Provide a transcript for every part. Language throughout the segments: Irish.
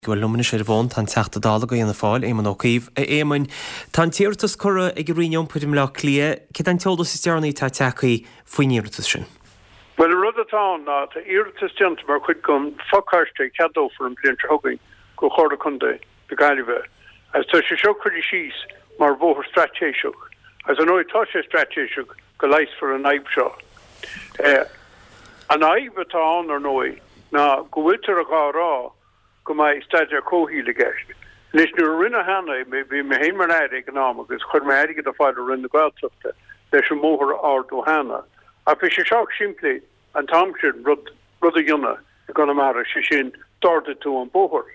Bhuel, liom anois ar an bhfón tá an Teachta Dála do Fhianna Fáil, Éamon Ó Cuív. A Éamoin, tá an t-iarratas curtha ag an Roinn Iompair i mBleá Cliath. Céard é an t-eolas is deireanaí atá tagtha faoin iarratas sin? Bhuel, an rud atá ann ná tá iarratas déanta mar chuid den phacáiste a cheadófar an bhliain seo chugainn do Chomhairle Contae na Gaillimhe agus tá sé seo curtha síos mar bhóthar straitéiseach agus ar ndóigh tá sé straitéiseach go leigheasfar an fhadhb seo. An fhadhb atá ann ar ndóigh ná go bhfuiltear dhá rá go mbeidh staidéar comhshaoil i gceist. Anois, nuair a rinneadh cheana é, bhí mé féin mar Aire ag an am agus chuir mé airgead ar fáil ó Roinn na Gaeltachta leis an mbóthar a ardú cheana. Ach bhí sé sách simplí an t-am sin rud, rud a dhéanamh i gConamara, sé sin, d'ardaigh tú an bóthar.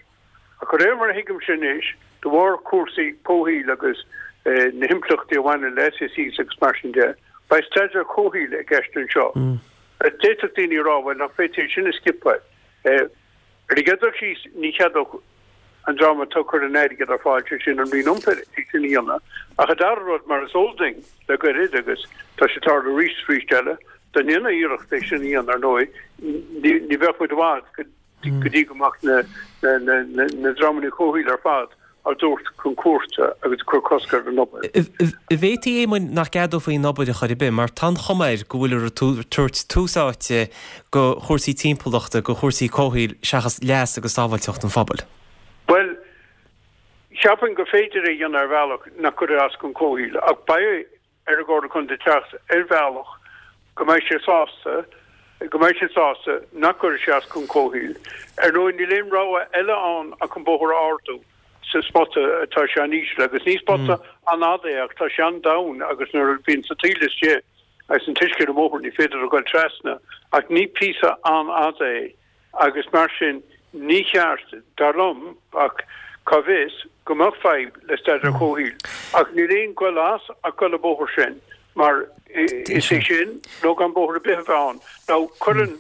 Ach de réir mar a thuigimse anois, de bharr cúrsaí comhshaoil agus na himpleachtaí a bhaineann le SACs agus mar sin de, beidh staidéar comhshaoil i gceist anseo. D'fhéadfadh daoine a rá, bhuel, nach bhféadfaí é sin a scipeáil? Ar an gcéad dul síos, ní cheadódh an dream atá ag cur an airgid ar fáil, sé sin an Roinn Iompair, é sin a dhéanamh. Ach an dara rud, mar is eol duinn le gairid, agus tá sé ag tarlú arís is arís eile, dá ndéanfaí iarracht é sin a dhéanamh, ar ndóigh, ní bheadh muid i bhfad go dtí go mbeadh na dreamanna comhshaoil ar fad á dtabhairt chun cúirte agus ag cur cosc ar an obair. An bhféadfaí, a Éamoin, nach gceadófaí an obair ar chor ar bith, mar tá an chuma air go bhfuiltear ag tabhairt tús áite do chúrsaí timpeallachta, do chúrsaí comhshaoil, seachas leas agus sábháilteacht an phobail? Bhuel, cheapfainn gur féidir é a dhéanamh ar bhealach nach gcuirfidh as don chomhshaol, ach beidh ar an gComhairle Contae teacht ar bhealach go mbeidh sé sásta, go mbeidh siad sásta nach gcuirfidh sé as don chomhshaol. Ar ndóigh, níl aon rogha eile ann ach an bóthar a ardú sa spota atá sé an-íseal agus ní spota an-fhada é ach tá sé an-domhain agus nuair a bhíonn an taoille istigh agus an t-uisce ar an mbóthar ní féidir a ghoil trasna ach ní píosa an-fhada é. agus mar sin ní cheart, dar liom, ach cá bhfios, go mbeadh fadhb le staidéar comhshaoil. Ach níl aon ghoil as ach goil an bóthar sin, mar is é sin nó gan bóthar ar bith a bheith ann. Now cuireann,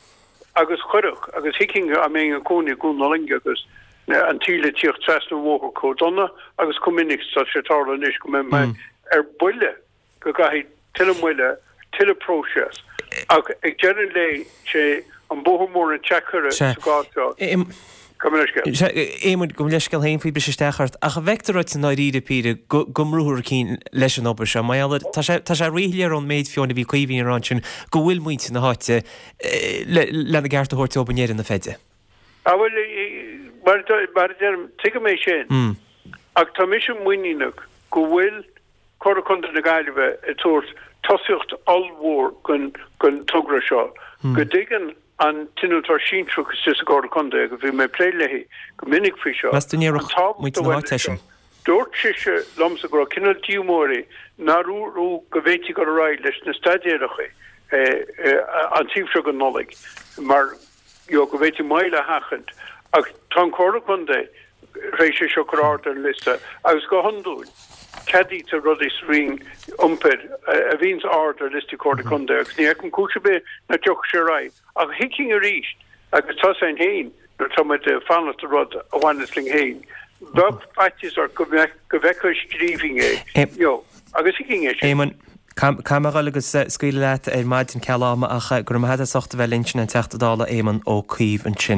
agus chuirfeadh, agus thuigfinn dá mbeinn i mo chónaí i gCuan na Loinge agus an taoille ag tíocht trasna an bhóthair chomh dona agus chomh minic is atá sé ag tarlú anois go mbeidh mé ar buile. go gcaithfidh tuilleadh moille, tuilleadh próiseas. Ach ag deireadh an lae, sé an bóthar mór an tseacaire sa gcás seo. Gabh mo leithscéal. Sea, Éamoin, gabh mo leithscéal féin faoi briseadh isteach ort, ach an bhfeictear duit i ndáiríre píre go go mbrúfar chun cinn leis an obair seo? Mar gheall air, tá sé tá sé ríshoiléir ón méid fiú amháin a bhí Caoimhín a rá ansin go bhfuil muintir na háite le lena gceart a thabhairt dóibh i ndeireadh na feide. Ah bhuel, mar mar a deirim, tuigim é sin. Ach tá mise muiníneach go bhfuil Comhairle Contae na Gaillimhe ag tabhairt tosaíocht ollmhór don togra seo, go dtuigeann an t-innealtóir sinsearach istigh sa gComhairle Contae, agus bhí mé ag plé léi go minic faoi seo, Meas tú an ndéarfadh na háite é sin? Dúirt sise liomsa go raibh cineál díomá uirthi nár dúradh go bhféadfaí dul ar aghaidh leis na staidéaracha an taobh seo den Nollaig mar you know, go bhféadfaí moill a sheachaint. Ach tá an Chomhairle Contae tar éis é seo a chur ard ar an liosta agus go hiondúil ceadaítear rudaí sa Roinn Iompair a bhíonns ard ar liostaí Comhairle Contae agus ní fheicim cúis ar bith nach dtiocfadh sé ar aghaidh. Ach thuigfinn arís, agus tá 's againn féin nuair atá muid ag fanacht ar rud a bhaineas linn féin, bheadh faitíos ort go bhfeicfeá i scríbhinn é, you know, agus thuigfinn é sin. Éamonn, Caithfidh mé a dhul agus scaoileadh leat ar maidin ceal ama ach go raibh maith agat as ucht a bheith linn sin an Teachta Dála Éamon Ó Cuív ansin.